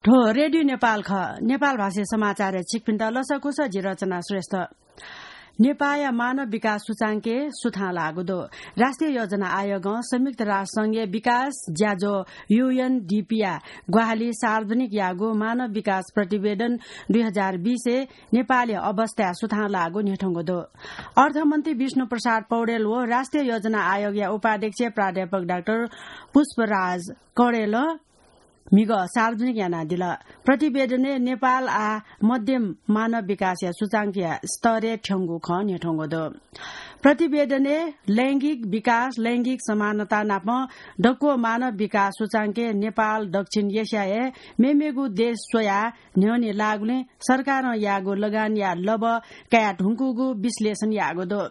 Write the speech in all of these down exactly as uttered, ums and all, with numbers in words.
थ्व रेडियो नेपाल खः। नेपाल भाषाया समाचारय् छिकपिन्त लसकुस, जि रचना श्रेष्ठ। नेपाःया मानव विकास सूचाङ्कय् सुथां लाःगु दु। राष्ट्रिय योजना आयोगं संयुक्त राष्ट्र संघया विकास ज्याझ्वः, यूएनडीपीया ग्वाहालिं सार्वजनिक याःगु मानव विकास प्रतिवेदन दुई हजार बीसय् नेपाःया अवस्थाय् सुथां लाःगु न्ह्यथंगु दु। अर्थमन्त्री विष्णु प्रसाद पौडेल व राष्ट्रिय योजना आयोगया उपाध्यक्ष प्राध्यापक डाक्टर पुष्पराज कौडेलं म्हिगः सार्वजनिक यानादिल। प्रतिवेदनय् नेपाल आः मध्यम मानव विकासया सूचाङ्कया स्तरय् थ्यंगु खँ न्ह्यथंगु दु। प्रतिवेदनय् लैंगिक विकास, लैंगिक समानता नाप दक्व मानव विकास सूचाङ्कय् नेपाल दक्षिण एसियाय् मेमेगु देश स्वयाः न्ह्यःने लाःगुलिं सरकारं याःगु लगानया लबः काये धुंकूगु विश्लेषण याःगु दु।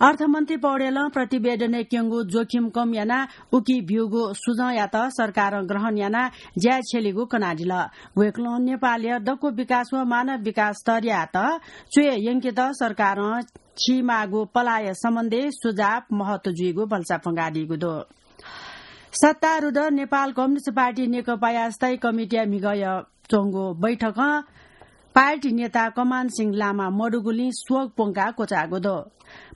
अर्थमन्त्री पौडेलं प्रतिवेदनय् क्यंगु जोखिम कम यानाः उकी ब्यूगु सुझावयात सरकारं ग्रहण यानाः ज्याय् छ्यलीगु कनादिल। वय्कलं नेपालया दक्व विकास व मानव विकास स्तरयात च्वय् यंकेत सरकारं खीमाःगु पलाःया सम्बन्धय् सुझाव महत्व जुइगु भलसा फ्वंकादीगु दु। सत्तारूढ नेपाल कम्युनिस्ट पार्टी नेकपाया स्थायी कमिटीया म्हिगः च्वंगु बैठकं पार्टी नेता कमान सिंह लामा मदुगुलिं शोक प्वंकाः क्वचाःगु दु।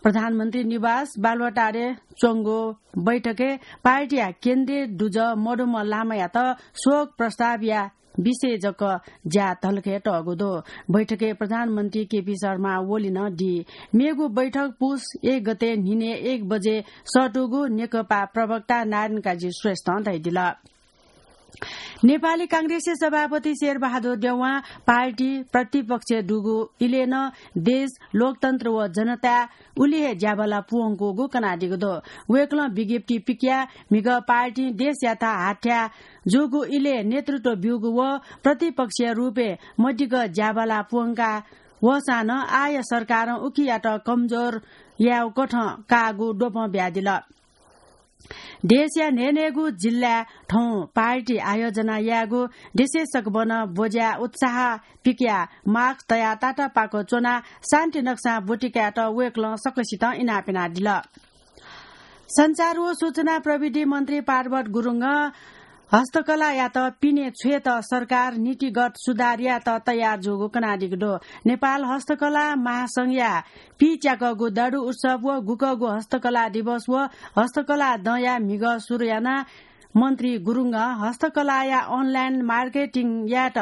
प्रधानमन्त्री निवास बालुवाटारय् च्वंगु बैठकय् पार्टीया केन्द्रीय दुजः मदुम्ह लामायात शोक प्रस्तावया विषय जक ज्या धलखय् तःगु दु। बैठकय् प्रधानमन्त्री केपी शर्मा ओली नं दी। मेगु बैठक पुस एक गते न्हिनय् एक बजे सःतूगु नेकपा प्रवक्ता नारायण काजी श्रेष्ठं धयादिल। नेपाली कांग्रेसया सभापति शेरबहादुर देउवां पार्टी प्रतिपक्षय् दुगु इलय् नं देश, लोकतन्त्र व जनताय् उलि हे ज्याबला पूवंकूगु कनादीगु दु। वय्कलं विज्ञप्ति पिकयाः म्हिगः पार्टीं देशयात हाथ्याः जूगु इलय् नेतृत्व ब्यूगु व प्रतिपक्षया रूपय् मदिगः ज्याबला पूवंका वःसां नं आःया सरकारं उकियात कमजोर यायेगु कथं काःगु द्वपं बियादिल। देशया न्हय्न्हय्गू जिल्लाय् थौं पार्टी आयोजना यायेगु, देशय् सकभनं ब्वज्या उत्साह पिकयाः मास्क तयाः तातापाक च्वनाः शान्ति नक्सां ब्वति कायेत वय्कलं सकसितं इनाप यानादिल। सञ्चार व सूचना प्रविधि मन्त्री पार्वत गुरुङं हस्तकलायात पिने छ्वयेत सरकार नीतिगत सुधार यायेत तयार जूगु कनादीगु दु। नेपाल हस्तकला महासंघया पीच्याकःगु दारु उत्सव व गुकःगु हस्तकला दिवस व हस्तकला दँया म्हिगः सुरु यानाः मन्त्री गुरुङं हस्तकलाया online marketing यायेत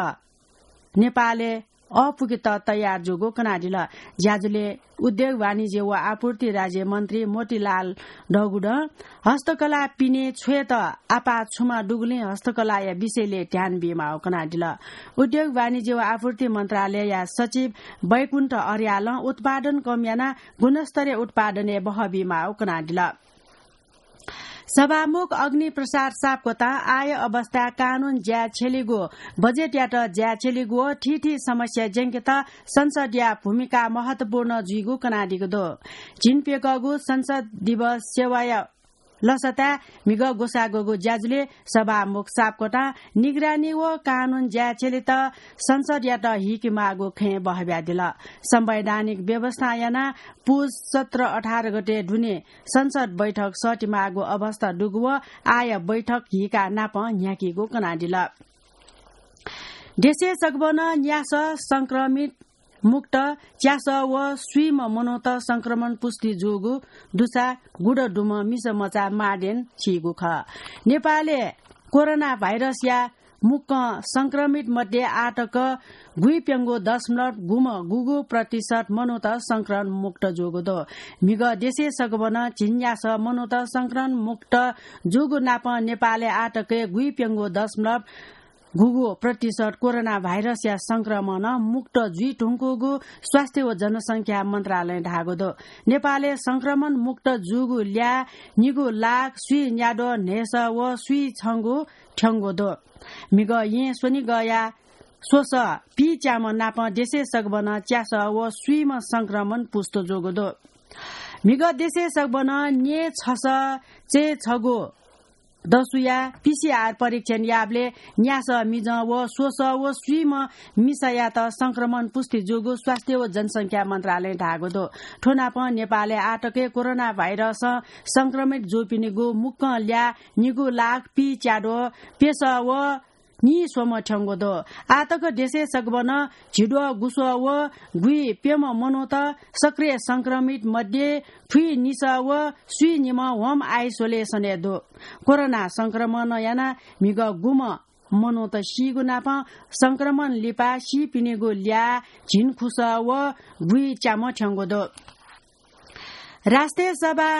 नेपालय् अःपुकेत तयार जूगु कनादिल। ज्याझ्वलय् उद्योग वाणिज्य व आपूर्ति राज्य मन्त्री मोतीलाल दौगुडं हस्तकला पिने छ्वयेत आपाः छुमा दुगुलिं हस्तकलाया विषयलय् ध्यान बीमाःगु कनादिल। उद्योग वाणिज्य व आपूर्ति मन्त्रालयया सचिव वैकुण्ठ अर्यालं उत्पादन कम यानाः गुणस्तरीय उत्पादनय् बहः बीमाःगु कनादिल। सभामुख अग्निप्रसाद सापकोटां आःया अवस्थाय् कानून ज्याय् छ्यलीगु, बजेटयात ज्याय् छ्यलीगु व थीथी समस्या ज्यंकेत संसदया भूमिका महत्वपूर्ण जुइगु कनादीगु दु। झिंप्यकःगु संसद दिवस सेवाया लसताय् म्हिगः ग्वसाः ग्वःगु ज्याझ्वलय् सभामुख सापकोटां निगरानी व कानून ज्याय् छ्यलेत संसदयात हीकेमाःगु खँय् बहः बियादिल। संवैधानिक व्यवस्था यानाः पुस सत्र अठार गते दुने संसद बैठक सःतेमाःगु अवस्था दुगु व आःया बैठक हीका नापं न्ह्याकीगु कनादिल। देशय् सकभनं न्यासः संक्रमित मुक्त च्यासः व स्वीम्ह मनूत संक्रमण पुष्टि जूगु दुसा गुदँ दुम्ह मिसा मचा मार्डेन सीगु खः। नेपालय् कोरोना भाइरसया मुक्कं संक्रमित मध्ये आःतक गुइप्यंगू दशमलव गुम्ह गुगू प्रतिशत मनूत संक्रमण मुक्त जूगु दु। म्हिगः देशय् सकभनं झिंन्यासः मनूत संक्रमण मुक्त जूगु नापं नेपालय् आःतकय् गुइप्यंगू दशमलव गुगू प्रतिशत कोरोना भाइरसया संक्रमणं मुक्त जुइधुंकूगु स्वास्थ्य व जनसंख्या मन्त्रालयं धाःगु दु। नेपालय् संक्रमण मुक्त जूगु ल्याः निगू लाख स्वीन्याद्वः न्हय्सः व स्वीछंगू थ्यंगु दु। म्हिगः येँ स्वनिगःया स्वसः पीच्याम्ह नाप देशय् सकभनं च्यासः व स्वीम्ह संक्रमण पुष्ट जूगु दु। म्हिगः देशय् सकभनं न्येछसः चय्छगू दसुया पीसीआर परीक्षण याःबलय् न्यासः मिजं व स्वसः व स्वीम्ह मिसायात संक्रमण पुष्टि जूगु स्वास्थ्य व जनसंख्या मन्त्रालयं धाःगु दु। थ्व नाप नेपालय् आःतकय् कोरोना भाइरसं संक्रमित जूपिनिगु मुक्कं ल्याः निगू लाख पीच्याद्वः प्यसः व नीस्वम्ह थ्यंगु दु। आःतक देशय् सकभनं झिद्वः गुस्वः व गुइप्यम्ह मनूत सक्रिय संक्रमित मध्ये फुइनिसः व स्वीनिम्ह home isolation-य् दु। कोरोना संक्रमणं यानाः म्हिगः गुम्ह मनूत सीगु नापं संक्रमण लिपा सीपिनिगु ल्याः झिंखुसः व गुइच्याम्ह थ्यंगु दु। राष्ट्रिय सभा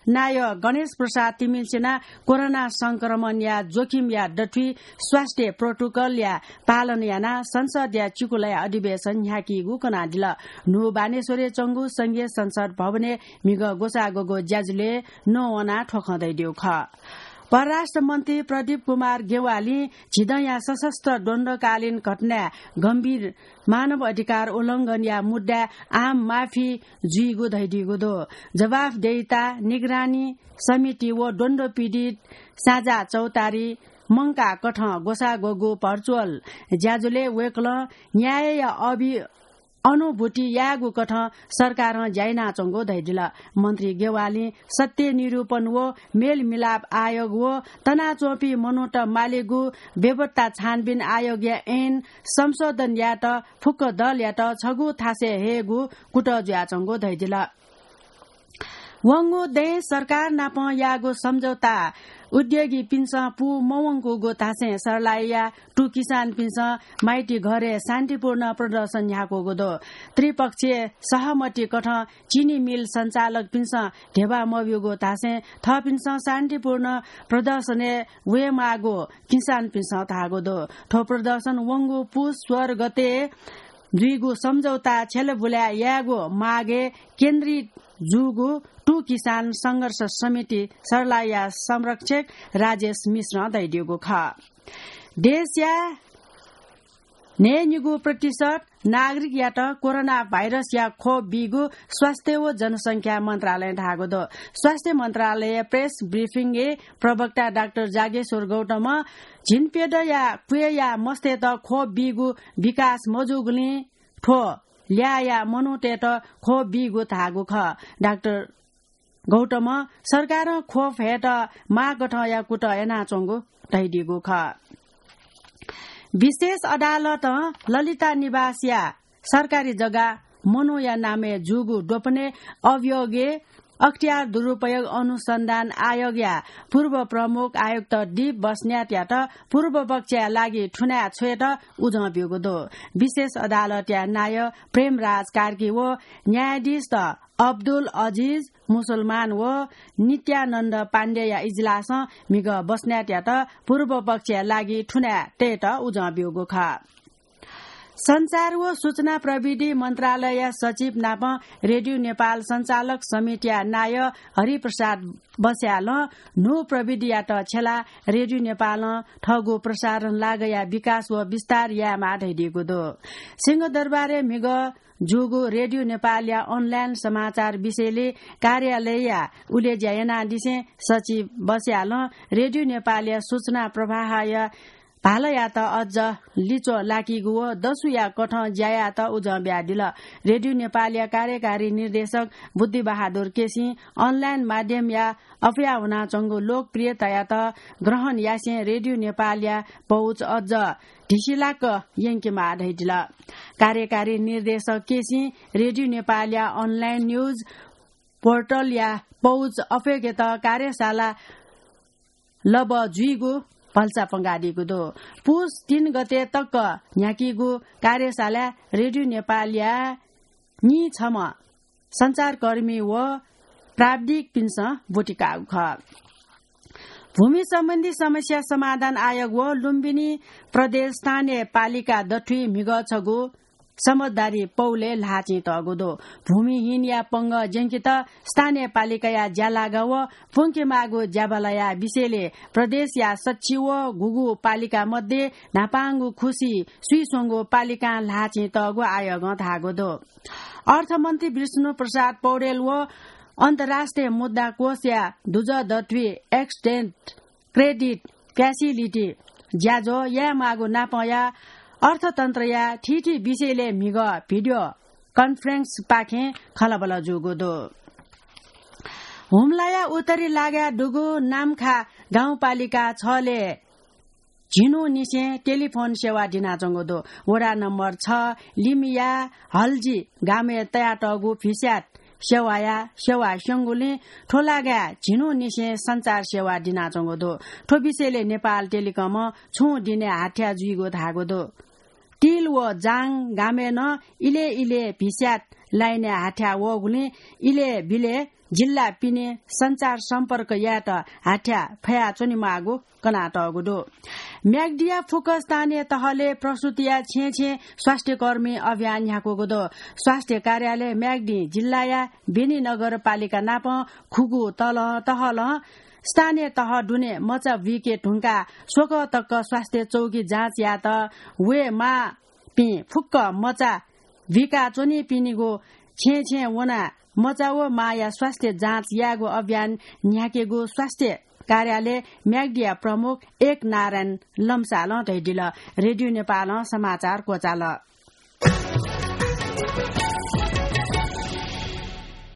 नायः गणेश प्रसाद तिमिल्सिनां कोरोना संक्रमणया जोखिमया दथुइ स्वास्थ्य प्रोटोकलया पालन यानाः संसदया चिकुलया अधिवेशन न्ह्याकीगु कनादिल। न्हू बानेश्वरय् च्वंगु संघीय संसद भवनय् म्हिगः ग्वसाः ग्वःगु ज्याझ्वलय् नवानाः थ्व खँ धयादीगु खः। परराष्ट्र मन्त्री प्रदीप कुमार गेवालीं झिदँया सशस्त्र द्वन्द्वकालीन घटनाय् गम्भीर मानव अधिकार उल्लंघनया मुद्दाय् आम माफी जुइगु धयादीगु दु। जवाफदेहिता निगरानी समिति व द्वन्द्व पीडित साझा चौतारी मंकाः कथं ग्वसाः ग्वःगु भर्चुअल ज्याझ्वलय् वय्कलं न्यायया अभि-, अनुभूति यायेगु कथं सरकारं ज्या यानाच्वंगु धयादिल। मन्त्री गेवालीं सत्य निरूपण व मेलमिलाप आयोग व तनाच्वंपिं मनूत मालेगु बेपत्ता छानबिन आयोगया ऐन संशोधन यायेत फुक्क दलयात छगू थासय् हयेगु कुतः जुयाच्वंगु धयादिल। वंगु दँय् सरकार नाप याःगु सम्झौता उद्योगीपिन्सं पू मवंकूगु धासें सर्लाहीया टु किसानपिन्सं माइतीघरय् शान्तिपूर्ण प्रदर्शन न्ह्याकूगु दु। त्रिपक्षीय सहमति कथं चिनी मिल सञ्चालकपिन्सं धेबा मब्यूगु धासें थःपिन्सं शान्तिपूर्ण प्रदर्शनय् वयेमाःगु किसानपिन्सं धाःगु दु। थ्व प्रदर्शन वंगु पुस सोह्र गते जुइगु सम्झौता छ्यलाबुला यायेगु मागय् केन्द्रित जूगु टु किसान संघर्ष समिति सर्लाहीया संरक्षक राजेश मिश्रं धयादीगु खः। देशया न्हय्निगू प्रतिशत नागरिकयात कोरोना भाइरसया खोप बीगु स्वास्थ्य व जनसंख्या मन्त्रालयं धाःगु दु। स्वास्थ्य मन्त्रालय प्रेस ब्रिफिङय् प्रवक्ता डाक्टर जागेश्वर गौतमं झिंप्यदँया क्वय्या मस्तय्त खोप बीगु विकास मजूगुलिं थ्व ल्याःया मनूतय्त खोप बीगु धाःगु खः। डाक्टर गौतमं सरकारं खोप हयेत माःगथंया कुतः यानाच्वंगु धयादीगु खः। विशेष अदालतं ललिता निवासया सरकारी जग्गा मनूया नामय् जूगु द्वपनय् अभियोगय् अख्तियार दुरुपयोग अनुसन्धान आयोगया पूर्व प्रमुख आयुक्त दीप बस्नेतयात पूर्वपक्षया लागि थुनाय् छ्वयेत उजं ब्यूगु दु। विशेष अदालतया नायः प्रेमराज कार्की व न्यायाधीशत अब्दुल अजिज मुसलमान व नित्यानन्द पाण्डेया इजलासं म्हिगः बस्नेतयात पूर्वपक्षया लागि थुनाय् तयेत उजं ब्यूगु खः। सञ्चार व सूचना प्रविधि मन्त्रालयया सचिव नाप रेडियो नेपाल सञ्चालक समितिया नायः हरिप्रसाद बस्यालं न्हू प्रविधियात छ्यलाः रेडियो नेपालं थःगु प्रसारण लागःया विकास व विस्तार यायेमाः धयादीगु दु। सिंहदरबारय् म्हिगः जूगु रेडियो नेपालया online समाचार विषयलय् कार्यालयया उलेज्या यानादिसें सचिव बस्यालं रेडियो नेपालया सूचना प्रवाहया भालायात अझ लिच्वः लाकीगु व दसुया कथं ज्या यायेत उजं बियादिल। रेडियो नेपालया कार्यकारी निर्देशक बुद्धिबहादुर केसीं online माध्यमया अप्वया वनाच्वंगु लोकप्रियतायात ग्रहण यासें रेडियो नेपालया पहुँच अझ ढिसिलाक यंकेमाः धयादिल। कार्यकारी निर्देशक केसीं रेडियो नेपालया online news portal-या पहुँच अप्वयेकेत कार्यशाला लबः जुइगु भलसा पंगादीगु दु। पुस तीन गते तक न्ह्याकीगु कार्यशालाय् रेडियो नेपालया नीछम्ह सञ्चारकर्मी व प्राविधिकपिन्सं ब्वति काःगु खः। भूमि सम्बन्धी समस्या समाधान आयोग व लुम्बिनी प्रदेश स्थानीय पालिका दथुइ म्हिगः छगू समझदारी पौलय् ल्हाःचिं तःगु दु। भूमिहीनया पंगः ज्यंकेत स्थानीय पालिकाया ज्यालागा व प्वंकेमाःगु ज्याबालाया विषयलय् प्रदेशया सच्छि व गुगु पालिका मध्ये न्हापांगु खुसि स्वीस्वंगु पालिकां ल्हाःचिं तःगु आयोगं धाःगु दु। अर्थमन्त्री विष्णु प्रसाद पौडेल व अन्तर्राष्ट्रिय मुद्रा कोषया दुजः दथुइ extended credit facility ज्याझ्वः यायेमाःगु नापंया अर्थतन्त्रया थीथी विषयलय् म्हिगः video conference पाखें खँल्हाबल्हा जूगु दु। हुम्लाया उत्तरी लागाय् दुगु नाम्खा गाउँपालिका छलय् झिन्हुनिसें टेलिफोन सेवा दिनाच्वंगु दु। वडा नम्बर छ लिमिया हल्जी गामय् तयातःगु भिस्यात सेवाया सेवा स्यंगुलिं थ्व लागाय् झिन्हुनिसें सञ्चार सेवा दिनाच्वंगु दु। थ्व विषयले नेपाल टेलिकमं छुं दिनय् हाथ्या जुइगु धाःगु दु। तिल व जाङ गामय् नं इलय् इलय् भिस्यात लाइनय् हाथ्या वःगुलिं इलय् बिलय् जिल्ला पिने सञ्चार सम्पर्क यायेत हाथ्या फयाच्वनेमाःगु कनातःगु दु। म्याग्दीया फुक्क स्थानीय तहले प्रस्तुतिया छेँ छेँ स्वास्थ्यकर्मी अभियान न्ह्याकूगु दु। स्वास्थ्य कार्यालय म्याग्दी जिल्लाया बेनी नगरपालिका नाप खुगू तलं तहलं स्थानीय तह दुने मचा बुइके धुंकाः स्वकः तक स्वास्थ्य चौकी जाँच यायेत वये माःपिं फुक्क मचा बुइकाच्वनीपिनिगु छेँ छेँ वनाः मचा व माया स्वास्थ्य जाँच यायेगु अभियान न्ह्याकेगु स्वास्थ्य कार्यालय म्याग्दीया प्रमुख एक नारायण लम्सालं धयादिल। रेडियो नेपालं समाचार क्वचाल।